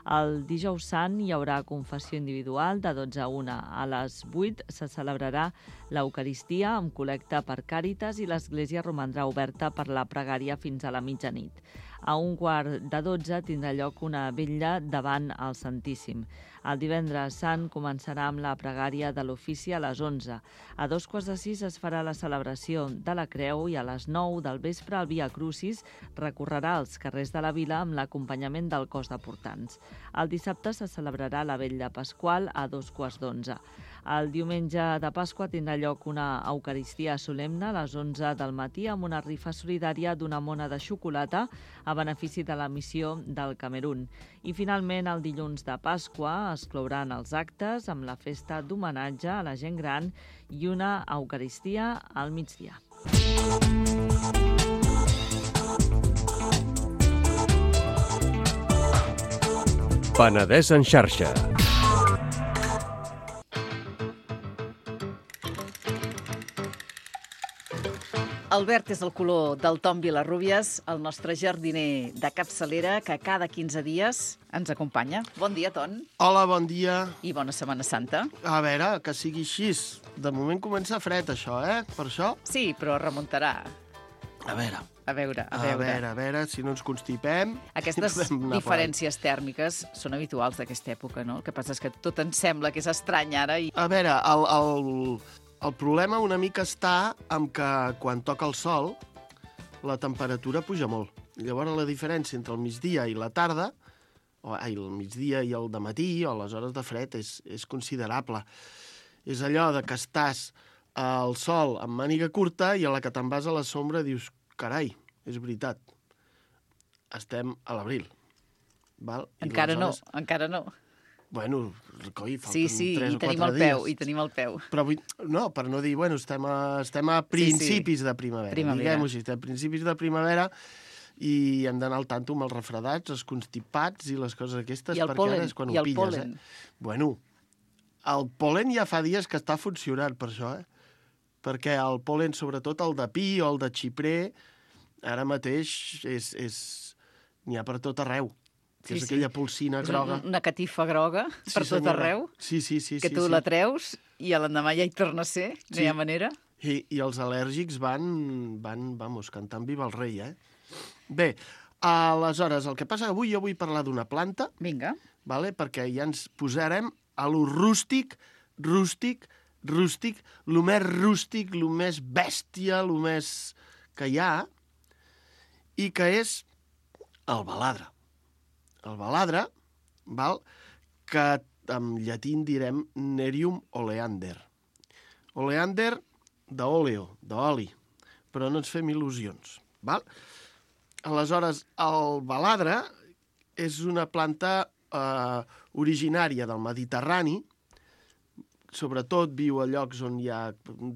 Speaker 8: El dijous sant hi haurà confessió individual de dotze a una. A les vuit se celebrarà l'Eucaristia amb col·lecta per Càritas i l'església romandrà oberta per la pregària fins a la mitjanit. A un quart de dotze tindrà lloc una vetlla davant el Santíssim. El divendres sant començarà amb la pregària de l'ofici a les onze. A dos quarts de sis es farà la celebració de la Creu i a les nou del vespre el Via Crucis recorrerà els carrers de la vila amb l'acompanyament del cos de portants. El dissabte se celebrarà la vetlla pasqual a dos quarts d'onze. El diumenge de Pasqua tindrà lloc una Eucaristia solemne a les onze del matí amb una rifa solidària d'una mona de xocolata a benefici de la missió del Camerun. I finalment, el dilluns de Pasqua es clouran els actes amb la festa d'homenatge a la gent gran i una Eucaristia al migdia.
Speaker 9: Penedès en xarxa.
Speaker 3: El verd és el color del Tom Vilarrubias, el nostre jardiner de capçalera, que cada quinze dies ens acompanya. Bon dia, Ton.
Speaker 10: Hola, bon dia.
Speaker 3: I bona Setmana Santa.
Speaker 10: A veure, que sigui així. De moment comença fred, això, eh? Per això?
Speaker 3: Sí, però remuntarà.
Speaker 10: A veure...
Speaker 3: A veure, a
Speaker 10: A
Speaker 3: veure.
Speaker 10: veure, a veure, si no ens constipem...
Speaker 3: Aquestes diferències tèrmiques són habituals d'aquesta època, no? El que passa és que tot ens sembla que és estrany ara i...
Speaker 10: A veure, el, el, el problema una mica està amb que quan toca el sol la temperatura puja molt. Llavors la diferència entre el migdia i la tarda, o ai, el migdia i el dematí, o les hores de fred, és, és considerable. És allò de que estàs al sol amb màniga curta i a la que te'n vas a la sombra dius, carai, és veritat, estem a l'abril. Val? I
Speaker 3: Encara
Speaker 10: aleshores...
Speaker 3: no, encara no.
Speaker 10: Bueno, coi, falten
Speaker 3: Sí, sí,
Speaker 10: tres
Speaker 3: i
Speaker 10: o
Speaker 3: tenim
Speaker 10: quatre
Speaker 3: el peu,
Speaker 10: dies.
Speaker 3: i tenim el peu.
Speaker 10: Però vull... No, per no dir, bueno, estem a, estem a principis
Speaker 3: sí, sí.
Speaker 10: de primavera.
Speaker 3: Primavera.
Speaker 10: Diguem-ho així, estem a principis de primavera i hem d'anar al tanto amb els refredats, els constipats i les coses aquestes,
Speaker 3: I el
Speaker 10: perquè
Speaker 3: pol·len,
Speaker 10: ara és quan
Speaker 3: i
Speaker 10: ho
Speaker 3: el
Speaker 10: pilles.
Speaker 3: pol·len.
Speaker 10: Eh? Bueno, el pol·len ja fa dies que està funcionant per això, eh? Perquè el pol·len, sobretot el de pi o el de xiprer, ara mateix és, és... n'hi ha per tot arreu. Que
Speaker 3: Sí,
Speaker 10: és
Speaker 3: sí.
Speaker 10: aquella polsina groga.
Speaker 3: És una catifa groga
Speaker 10: Sí,
Speaker 3: per tot
Speaker 10: senyora.
Speaker 3: arreu,
Speaker 10: Sí, sí, sí.
Speaker 3: que
Speaker 10: sí,
Speaker 3: tu
Speaker 10: sí.
Speaker 3: la treus i a l'endemà ja hi torna a ser, no
Speaker 10: Sí.
Speaker 3: hi ha manera.
Speaker 10: I, I els al·lèrgics van, van, vamos, cantant Viva el rei, eh? Bé, aleshores, el que passa avui, jo vull parlar d'una planta,
Speaker 3: Vinga.
Speaker 10: vale? Perquè ja ens posarem a lo rústic, rústic, rústic, lo més rústic, lo més bèstia, lo més que hi ha, i que és el baladre. El baladre, val? Que en llatí en direm Nerium oleander. Oleander d'oleo, d'oli, però no ens fem il·lusions. Val? Aleshores, el baladre és una planta eh, originària del Mediterrani, sobretot viu a llocs on hi ha,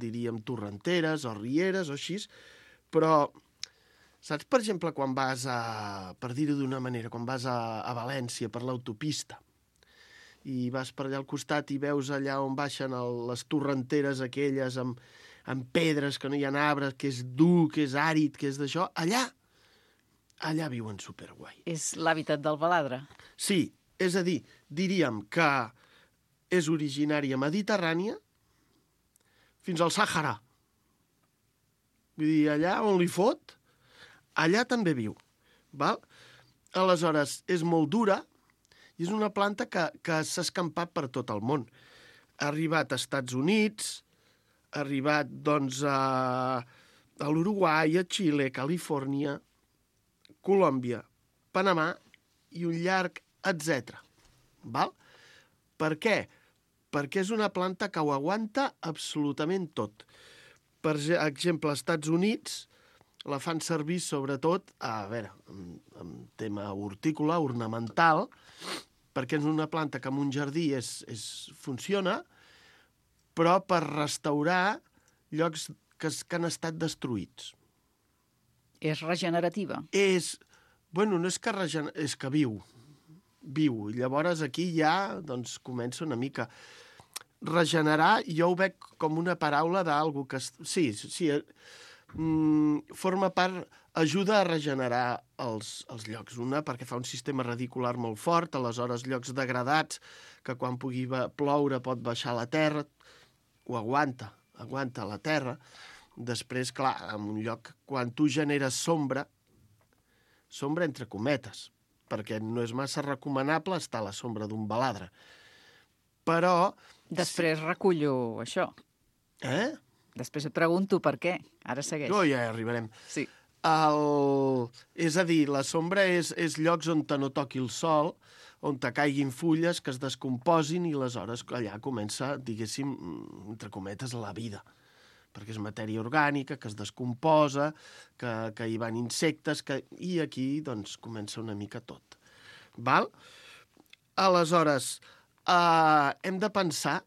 Speaker 10: diríem, torrenteres o rieres o així, però saps, per exemple, quan vas a, per dir-ho d'una manera, quan vas a, a València per l'autopista i vas per allà al costat i veus allà on baixen el, les torrenteres aquelles amb, amb pedres, que no hi ha arbres, que és dur, que és àrid, que és d'això, allà, allà viuen superguai.
Speaker 3: És l'hàbitat del baladre.
Speaker 10: Sí, és a dir, diríem que és originària mediterrània fins al Sàhara. Vull dir, allà on li fot, allà també viu. Val? Aleshores, és molt dura i és una planta que, que s'ha escampat per tot el món. Ha arribat als Estats Units, ha arribat doncs, a, a l'Uruguai, a Xile, Califòrnia, Colòmbia, Panamà i un llarg etcètera. Val? Per què? Perquè és una planta que ho aguanta absolutament tot. Per exemple, als Estats Units la fan servir sobretot, a veure, en, en tema hortícola, ornamental, perquè és una planta que en un jardí és, és, funciona, però per restaurar llocs que, que han estat destruïts.
Speaker 3: És regenerativa.
Speaker 10: És, bueno, no és que regener... és que viu. Viu. I llavors aquí ja doncs, comença una mica. Regenerar, jo ho veig com una paraula d'algú que... Sí, sí, mm, forma part, ajuda a regenerar els, els llocs. Una, perquè fa un sistema radicular molt fort, aleshores llocs degradats, que quan pugui ploure pot baixar la terra, ho aguanta, aguanta la terra. Després, clar, en un lloc, quan tu generes sombra, sombra entre cometes, perquè no és massa recomanable estar a la sombra d'un baladre. Però...
Speaker 3: Després recullo això.
Speaker 10: Eh?
Speaker 3: Després et pregunto per què. Ara segueix.
Speaker 10: Oh, ja arribarem.
Speaker 3: Sí.
Speaker 10: El... És a dir, la sombra és, és llocs on te no toqui el sol, on te caiguin fulles, que es descomposin i aleshores allà comença, diguéssim, entre cometes, la vida. Perquè és matèria orgànica, que es descomposa, que, que hi van insectes, que... i aquí doncs, comença una mica tot. Val? Aleshores, eh, hem de pensar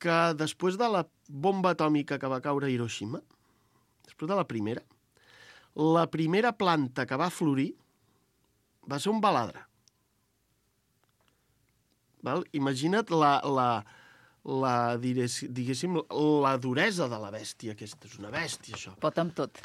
Speaker 10: que després de la bomba atòmica que va caure a Hiroshima, després de la primera, la primera planta que va florir va ser un baladre. Val? Imagina't la, la, la, diguéssim, la duresa de la bèstia aquesta. És una bèstia, això.
Speaker 3: Pot amb tot.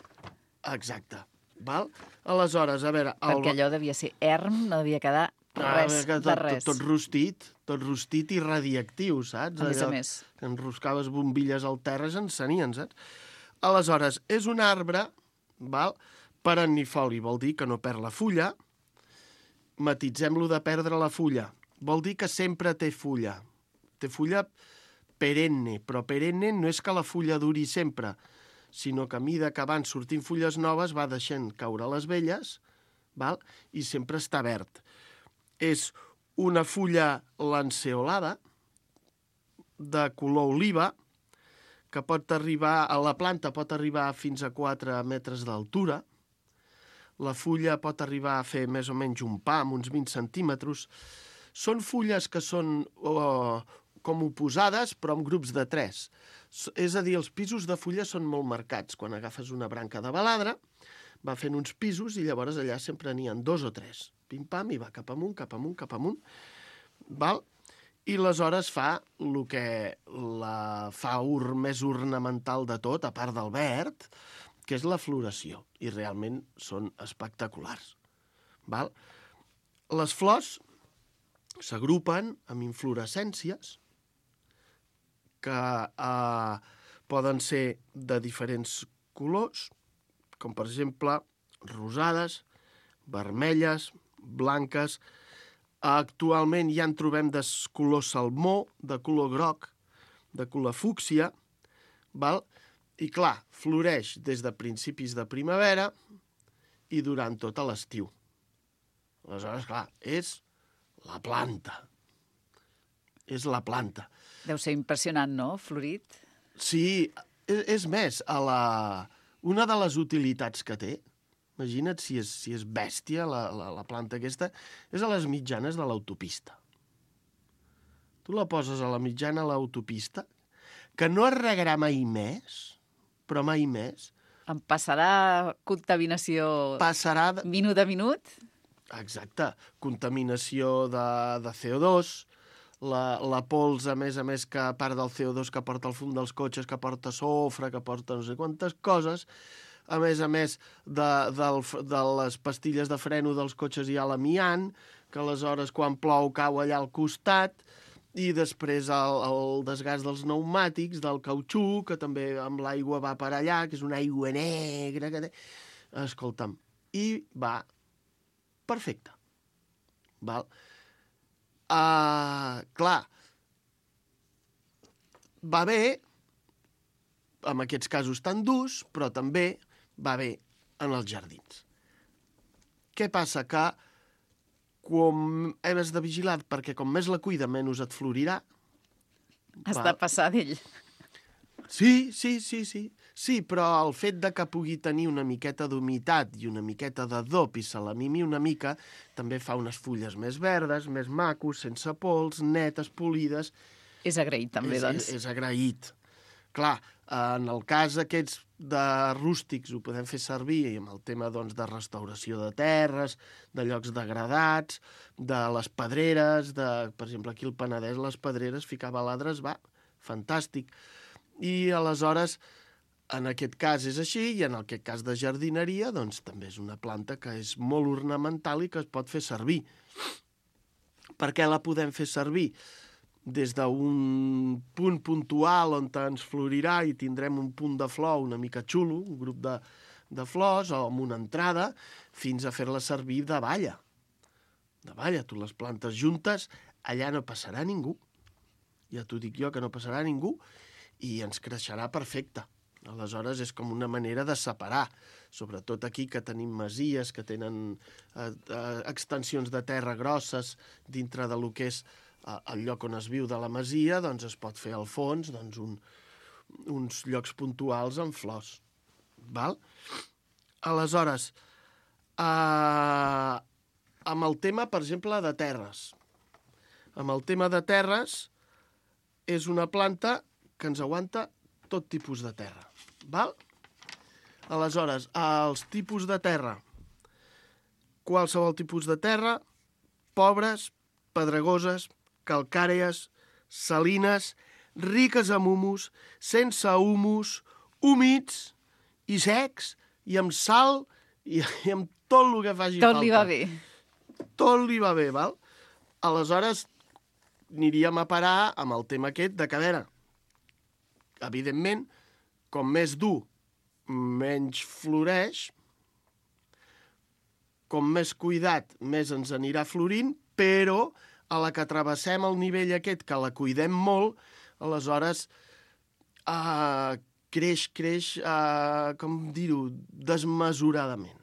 Speaker 10: Exacte. Val? Aleshores, a veure... El...
Speaker 3: Perquè allò devia ser erm, no devia quedar res,
Speaker 10: ah, tot,
Speaker 3: de res.
Speaker 10: Tot, tot rostit, tot rostit i radiactiu, saps?
Speaker 3: A més a
Speaker 10: Allò
Speaker 3: més.
Speaker 10: Que enroscaves bombilles al terra i s'encenien, saps? Aleshores, és un arbre, val? Perennifoli, vol dir que no perd la fulla. Matitzem-lo de perdre la fulla. Vol dir que sempre té fulla. Té fulla perenne, però perenne no és que la fulla duri sempre, sinó que a mida que van sortint fulles noves va deixant caure les velles, val? I sempre està verd. És una fulla lanceolada, de color oliva, que pot arribar, a la planta pot arribar fins a quatre metres d'altura, la fulla pot arribar a fer més o menys un pam, uns vint centímetres. Són fulles que són oh, com oposades, però en grups de tres. És a dir, els pisos de fulles són molt marcats. Quan agafes una branca de baladre, va fent uns pisos i llavors allà sempre n'hi ha dos o tres. Pim-pam, i va cap amunt, cap amunt, cap amunt. Val? I aleshores fa el que la fa ur, més ornamental de tot, a part del verd, que és la floració, i realment són espectaculars. Val? Les flors s'agrupen amb inflorescències que eh, poden ser de diferents colors, com per exemple rosades, vermelles, blanques. Actualment ja en trobem de color salmó, de color groc, de color fúcsia, val? I clar, floreix des de principis de primavera i durant tot l'estiu. Aleshores, clar, és la planta. És la planta.
Speaker 3: Deu ser impressionant, no, florit?
Speaker 10: Sí, és, és més, a la... una de les utilitats que té, imagina't si és, si és bèstia la, la, la planta aquesta, és a les mitjanes de l'autopista. Tu la poses a la mitjana a l'autopista, que no es regarà mai més, però mai més.
Speaker 3: Em passarà contaminació
Speaker 10: Passarà de...
Speaker 3: minut a minut?
Speaker 10: Exacte. Contaminació de, de C O dos, la, la pols, a més a més, que a part del C O dos que porta el fum dels cotxes, que porta sofre, que porta no sé quantes coses, a més a més de, de, de les pastilles de freno dels cotxes hi ha l'amiant, que aleshores quan plou cau allà al costat, i després el, el desgast dels pneumàtics, del cautxú, que també amb l'aigua va per allà, que és una aigua negra que té. Escolta'm, i va perfecte. Val? Uh, clar, va bé, en aquests casos tan durs, però també va bé en els jardins. Què passa? Que com has de vigilar, perquè com més la cuida, menys et florirà.
Speaker 3: Has de passar d'ell.
Speaker 10: Sí, sí, sí, sí. Sí, però el fet de que pugui tenir una miqueta d'humitat i una miqueta de dop i se la mimi una mica, també fa unes fulles més verdes, més macos, sense pols, netes, polides.
Speaker 3: És agraït, també,
Speaker 10: és,
Speaker 3: doncs.
Speaker 10: És, és agraït. Clar, en el cas aquests de rústics ho podem fer servir amb el tema doncs, de restauració de terres, de llocs degradats, de les pedreres, de, per exemple, aquí al Penedès, les pedreres, ficar baladres, va, fantàstic. I aleshores, en aquest cas és així, i en aquest cas de jardineria, doncs també és una planta que és molt ornamental i que es pot fer servir. Per què la podem fer servir? Des d'un punt puntual on ens florirà i tindrem un punt de flor una mica xulo, un grup de, de flors o amb una entrada, fins a fer-la servir de valla. De valla, tu les plantes juntes, allà no passarà ningú. Ja t'ho dic jo que no passarà ningú i ens creixerà perfecte. Aleshores és com una manera de separar, sobretot aquí que tenim masies, que tenen eh, eh, extensions de terra grosses dintre de lo que és el lloc on es viu de la masia, doncs es pot fer al fons doncs un, uns llocs puntuals amb flors. Val? Aleshores, eh, amb el tema, per exemple, de terres. Amb el tema de terres és una planta que ens aguanta tot tipus de terra. Val? Aleshores, els tipus de terra, qualsevol tipus de terra, pobres, pedregoses, calcàries, salines, riques amb humus, sense humus, humits i secs, i amb sal, i, i amb tot el que faci
Speaker 3: tot
Speaker 10: falta.
Speaker 3: Tot li va bé.
Speaker 10: Tot li va bé, val? Aleshores, aniríem a parar amb el tema aquest de que, a veure, evidentment, com més dur, menys floreix, com més cuidat, més ens anirà florint, però a la que travessem el nivell aquest, que la cuidem molt, aleshores eh, creix, creix, eh, com dir-ho, desmesuradament.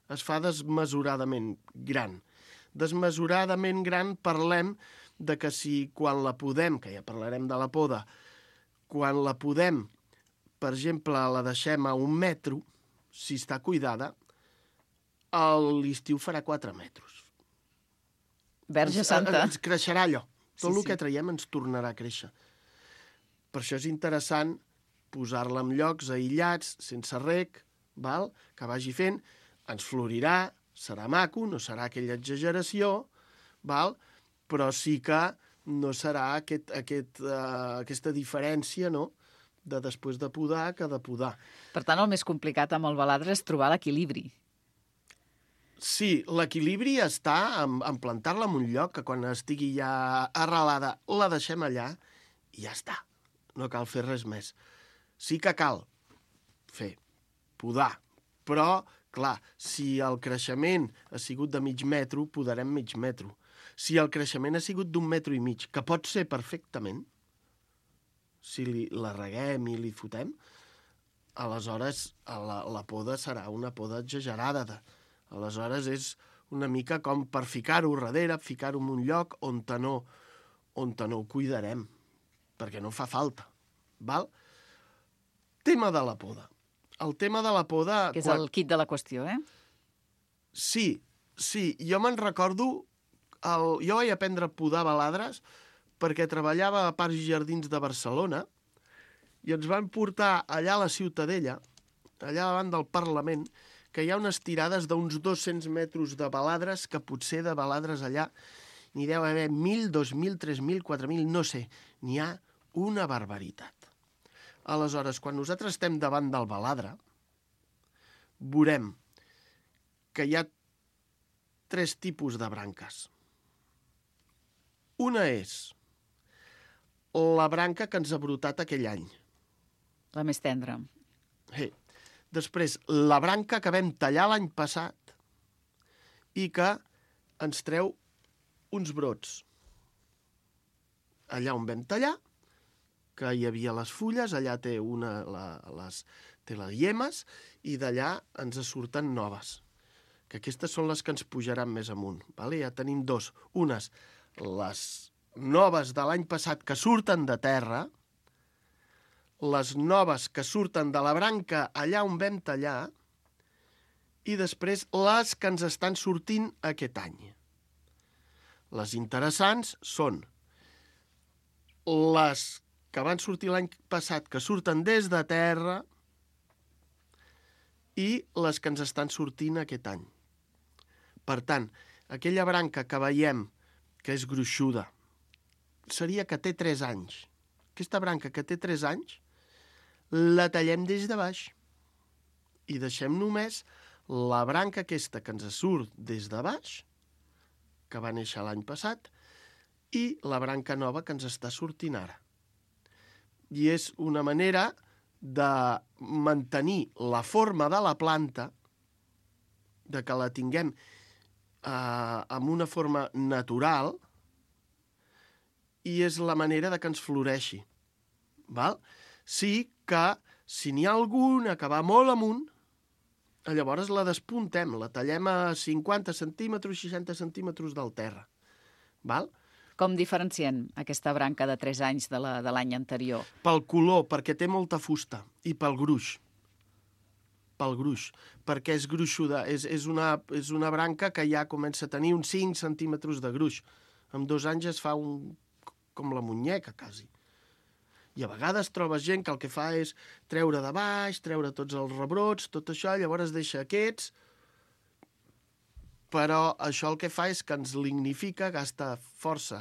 Speaker 10: Es fa desmesuradament gran. Desmesuradament gran parlem de que si quan la podem, que ja parlarem de la poda, quan la podem, per exemple, la deixem a un metro, si està cuidada, a l'estiu farà quatre metres.
Speaker 3: Verge Santa.
Speaker 10: Ens, ens creixerà allò. Tot
Speaker 3: Sí,
Speaker 10: el
Speaker 3: sí.
Speaker 10: que traiem ens tornarà a créixer. Per això és interessant posar-la en llocs aïllats, sense rec, val? Que vagi fent, ens florirà, serà maco, no serà aquella exageració, val? Però sí que no serà aquest, aquest, uh, aquesta diferència, no?, de després de podar que de podar.
Speaker 3: Per tant, el més complicat amb el baladre és trobar l'equilibri.
Speaker 10: Sí, l'equilibri està en, en plantar-la en un lloc que quan estigui ja arrelada la deixem allà i ja està. No cal fer res més. Sí que cal fer, podar, però, clar, si el creixement ha sigut de mig metro, podarem mig metro. Si el creixement ha sigut d'un metro i mig, que pot ser perfectament, si li, la reguem i li fotem, aleshores la, la poda serà una poda exagerada. De, aleshores és una mica com per ficar-ho darrere, ficar-ho en un lloc on te no, on te no ho cuidarem, perquè no fa falta. Val? Tema de la poda. El tema de la poda...
Speaker 3: Que és quan... el kit de la qüestió, eh?
Speaker 10: Sí, sí. Jo me'n recordo... El... Jo vaig aprendre a podar baladres perquè treballava a Parcs i Jardins de Barcelona i ens van portar allà a la Ciutadella, allà davant del Parlament, que hi ha unes tirades d'uns dos-cents metres de baladres, que potser de baladres allà n'hi deu haver mil, dos mil, tres mil, quatre mil, no sé. N'hi ha una barbaritat. Aleshores, quan nosaltres estem davant del baladre, veurem que hi ha tres tipus de branques. Una és la branca que ens ha brotat aquell any.
Speaker 3: La més tendra.
Speaker 10: Sí. Després, la branca que vam tallar l'any passat i que ens treu uns brots. Allà on vam tallar, que hi havia les fulles, allà té, una, la, les, té les llemes, i d'allà ens surten noves. Que aquestes són les que ens pujaran més amunt. Vale? Ja tenim dos. Unes, les noves de l'any passat que surten de terra, les noves que surten de la branca allà on vam tallar, i després les que ens estan sortint aquest any. Les interessants són les que van sortir l'any passat, que surten des de terra, i les que ens estan sortint aquest any. Per tant, aquella branca que veiem que és gruixuda, seria que té tres anys. Aquesta branca que té tres anys, la tallem des de baix i deixem només la branca aquesta que ens surt des de baix, que va néixer l'any passat, i la branca nova que ens està sortint ara. I és una manera de mantenir la forma de la planta, de que la tinguem eh, amb una forma natural, i és la manera de que ens floreixi. Val? Sí que, si n'hi ha alguna que va molt amunt, llavors la despuntem, la tallem a cinquanta centímetres, seixanta centímetres del terra. Val?
Speaker 3: Com diferenciem aquesta branca de tres anys de la de l'any anterior?
Speaker 10: Pel color, perquè té molta fusta, i pel gruix. Pel gruix, perquè és gruixuda, és, és, una, és una branca que ja comença a tenir uns cinc centímetres de gruix. Amb dos anys es fa un, com la muñeca, quasi. I a vegades trobes gent que el que fa és treure de baix, treure tots els rebrots, tot això, llavors deixa aquests, però això el que fa és que ens lignifica, gasta força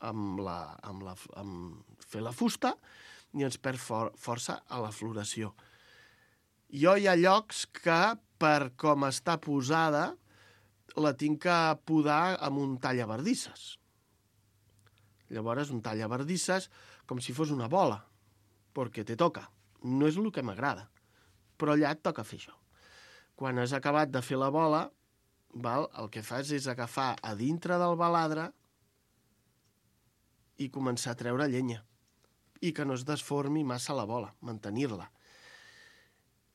Speaker 10: amb, la, amb, la, amb fer la fusta i ens perd for, força a la floració. Jo hi ha llocs que, per com està posada, la tinc que podar amb un tallaverdisses. Llavors, un tallaverdisses com si fos una bola, perquè te toca. No és el que m'agrada, però allà et toca fer això. Quan has acabat de fer la bola, val, el que fas és agafar a dintre del baladre i començar a treure llenya, i que no es desformi massa la bola, mantenir-la.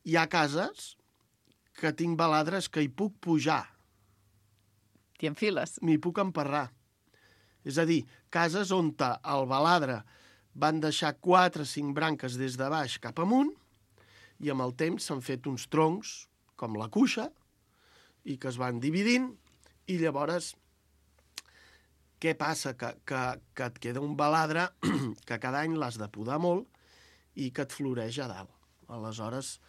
Speaker 10: Hi ha cases que tinc baladres que hi puc pujar.
Speaker 3: T'hi enfiles?
Speaker 10: M'hi puc emparrar. És a dir, cases on el baladre van deixar quatre o cinc branques des de baix cap amunt i amb el temps s'han fet uns troncs, com la cuixa, i que es van dividint, i llavors què passa? Que, que, que et queda un baladre que cada any l'has de podar molt i que et floreix a dalt. Aleshores,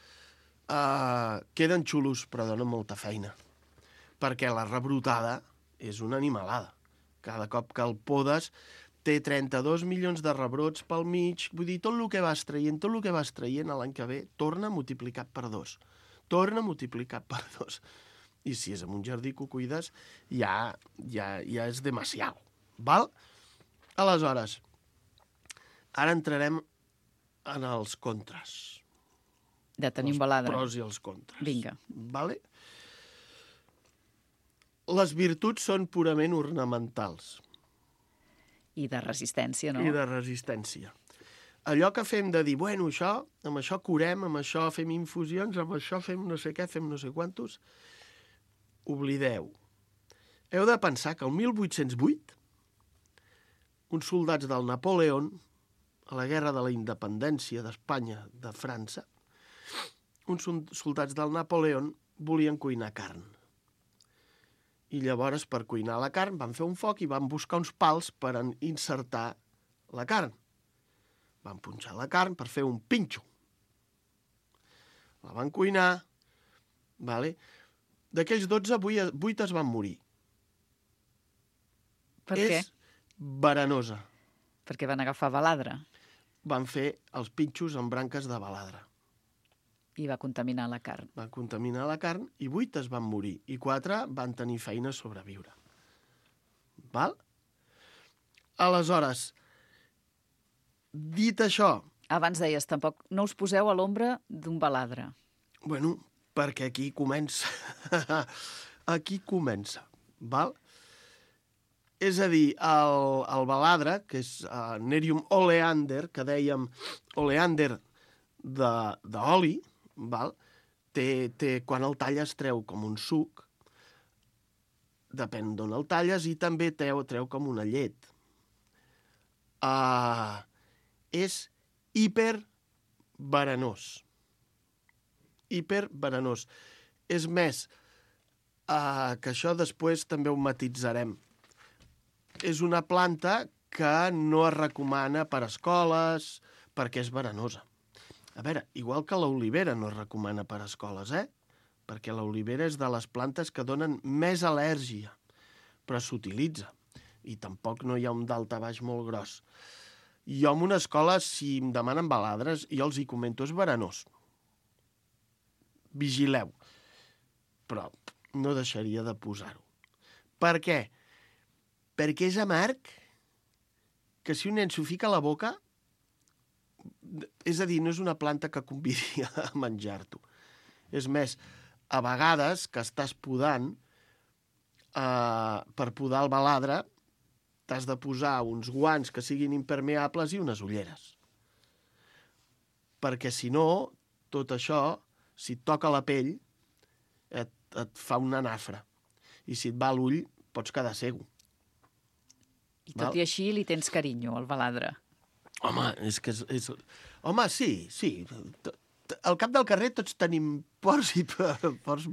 Speaker 10: eh, queden xulos, però donen molta feina, perquè la rebrotada és una animalada. Cada cop que el podes té trenta-dos milions de rebrots pel mig, vull dir, tot el que vas traient, tot el que vas traient l'any que ve, torna multiplicat per dos. Torna multiplicat per dos. I si és en un jardí que ho cuides, ja, ja, ja és demasiado. Val? Aleshores, ara entrarem en els contres.
Speaker 3: De tenir un baladre.
Speaker 10: Els pros i els contres.
Speaker 3: Vinga.
Speaker 10: Vale? Les virtuts són purament ornamentals.
Speaker 3: I de resistència, no?
Speaker 10: I de resistència. Allò que fem de dir, bueno, això, amb això curem, amb això fem infusions, amb això fem no sé què, fem no sé quantos, oblideu. Heu de pensar que el mil vuit-cents vuit, uns soldats del Napoleón, a la guerra de la independència d'Espanya, de França, uns soldats del Napoleón volien cuinar carn. I llavors, per cuinar la carn, van fer un foc i van buscar uns pals per insertar la carn. Van punxar la carn per fer un pinxo. La van cuinar, vale? D'aquells dotze, vuit es van morir.
Speaker 3: Per què?
Speaker 10: És verenosa.
Speaker 3: Perquè van agafar baladre.
Speaker 10: Van fer els pinxos amb branques de baladre.
Speaker 3: I va contaminar la carn.
Speaker 10: Van contaminar la carn i vuit es van morir. I quatre van tenir feina a sobreviure. Val? Aleshores, dit això...
Speaker 3: Abans deies, tampoc no us poseu a l'ombra d'un baladre.
Speaker 10: Bueno, perquè aquí comença. Aquí comença. Val? És a dir, el, el baladre, que és uh, Nerium oleander, que dèiem oleander d'oli, val? Té, té, quan el talles treu com un suc, depèn d'on el talles, i també treu, treu com una llet. Uh, és hiperverenós. Hiperverenós. És més, uh, que això després també ho matitzarem. És una planta que no es recomana per a escoles perquè és verenosa. A veure, igual que l'olivera no es recomana per a escoles, eh? Perquè l'olivera és de les plantes que donen més al·lèrgia, però s'utilitza. I tampoc no hi ha un daltabaix molt gros. Jo en una escola, si em demanen baladres, jo els hi comento, és verenós. Vigileu. Però no deixaria de posar-ho. Per què? Perquè és amarg que si un nen s'ho fica a la boca, és a dir, no és una planta que convidi a menjar-t'ho. És més, a vegades que estàs podant, eh, per podar el baladre, t'has de posar uns guants que siguin impermeables i unes ulleres. Perquè si no, tot això, si et toca la pell, et, et fa una nafra. I si et va l'ull, pots quedar cego.
Speaker 3: I tot Val? I així li tens carinyo, al baladre.
Speaker 10: Home, és que és... és... Home, sí, sí. Al cap del carrer tots tenim pors i pors,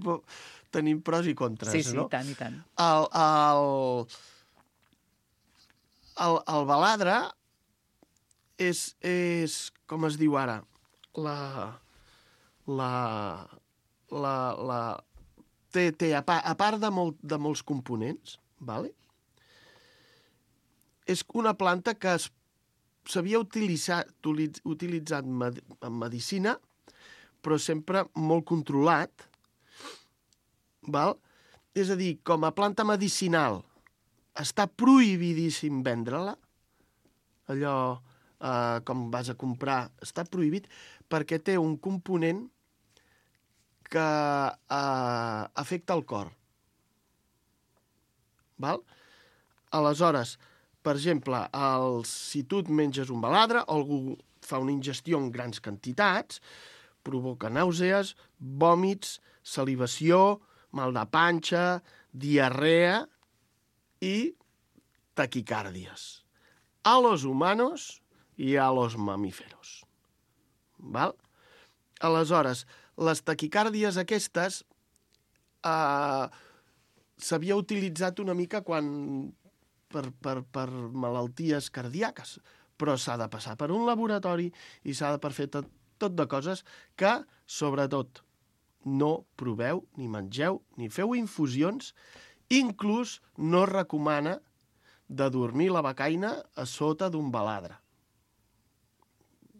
Speaker 10: tenim pros i contres,
Speaker 3: sí, sí,
Speaker 10: no?
Speaker 3: Sí, tant i tant.
Speaker 10: El, el, el, el baladre és, és, com es diu ara, la... la, la, la té, té a, part, a part de, molt, de molts components, vale? És una planta que es s'havia utilitzat, utilitzat en medicina, però sempre molt controlat, val? És a dir, com a planta medicinal està prohibidíssim vendre-la, allò eh, com vas a comprar, està prohibit perquè té un component que eh, afecta el cor. Val? Aleshores, per exemple, el, si tu et menges un baladre, algú fa una ingestió en grans quantitats, provoca nàusees, vòmits, salivació, mal de panxa, diarrea i taquicàrdies a los humanos i a los mamíferos. Val? Aleshores, les taquicàrdies aquestes eh, s'havia utilitzat una mica quan per, per, per malalties cardíaques, però s'ha de passar per un laboratori i s'ha de per fer tot, tot de coses que, sobretot, no proveu, ni mengeu, ni feu infusions. Inclús no es recomana de dormir la becaina a sota d'un baladre.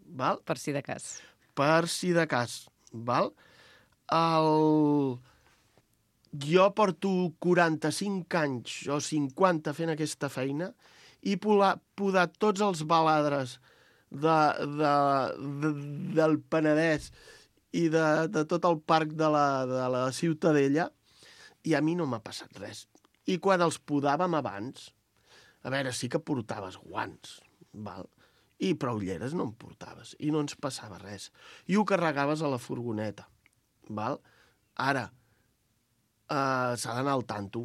Speaker 10: Val?
Speaker 3: Per si de cas.
Speaker 10: Per si de cas. Val? El... Jo porto quaranta-cinc anys o cinquanta fent aquesta feina i podar tots els baladres de, de, de, del Penedès i de, de tot el parc de la, de la Ciutadella, i a mi no m'ha passat res. I quan els podàvem abans, a veure, sí que portaves guants, val? I prou ulleres no en portaves, i no ens passava res. I ho carregaves a la furgoneta, val? Ara, Uh, s'ha d'anar al tanto.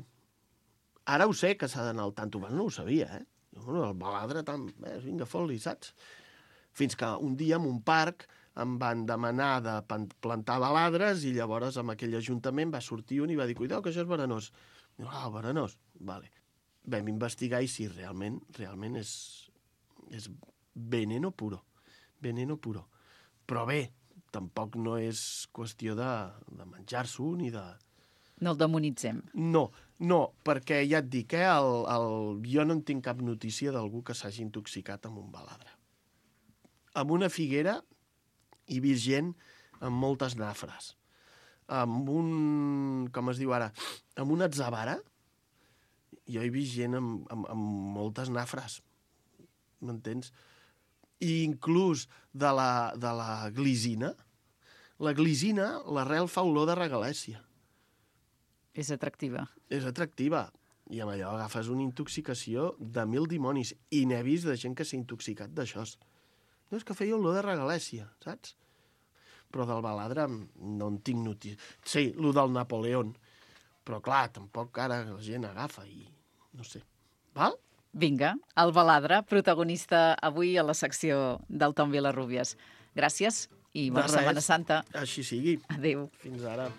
Speaker 10: Ara ho sé que s'ha d'anar al tanto, abans no ho sabia, eh? El baladre, tant, eh, vinga, fot-li, saps? Fins que un dia en un parc em van demanar de plantar baladres i llavors amb aquell ajuntament va sortir un i va dir, cuidao, que això és verenós. I, ah, verenós, vale. Vam investigar i sí, realment, realment és, és veneno puro. Veneno puro. Però bé, tampoc no és qüestió de, de menjar-s'ho ni de...
Speaker 3: No el demonitzem.
Speaker 10: No, no, perquè ja et dic, eh, el, el, jo no en tinc cap notícia d'algú que s'hagi intoxicat amb un baladre. Amb una figuera hi he vist gent amb moltes nafres. Amb un, com es diu ara, amb una atzavara, jo he vist gent amb, amb, amb moltes nafres. M'entens? I inclús de la, de la glicina. La glicina, l'arrel fa olor de regalèssia.
Speaker 3: És atractiva.
Speaker 10: És atractiva. I amb allò agafes una intoxicació de mil dimonis. I n'he vist de gent que s'ha intoxicat d'això. No, és que feia olor de regalèssia, saps? Però del baladre no en tinc notícia. Sí, el del Napoleón. Però clar, tampoc ara la gent agafa i no sé. Val?
Speaker 3: Vinga, el baladre, protagonista avui a la secció del Tom Vilarrubias. Gràcies i bona Setmana Santa.
Speaker 10: Així sigui.
Speaker 3: Adéu.
Speaker 10: Fins ara.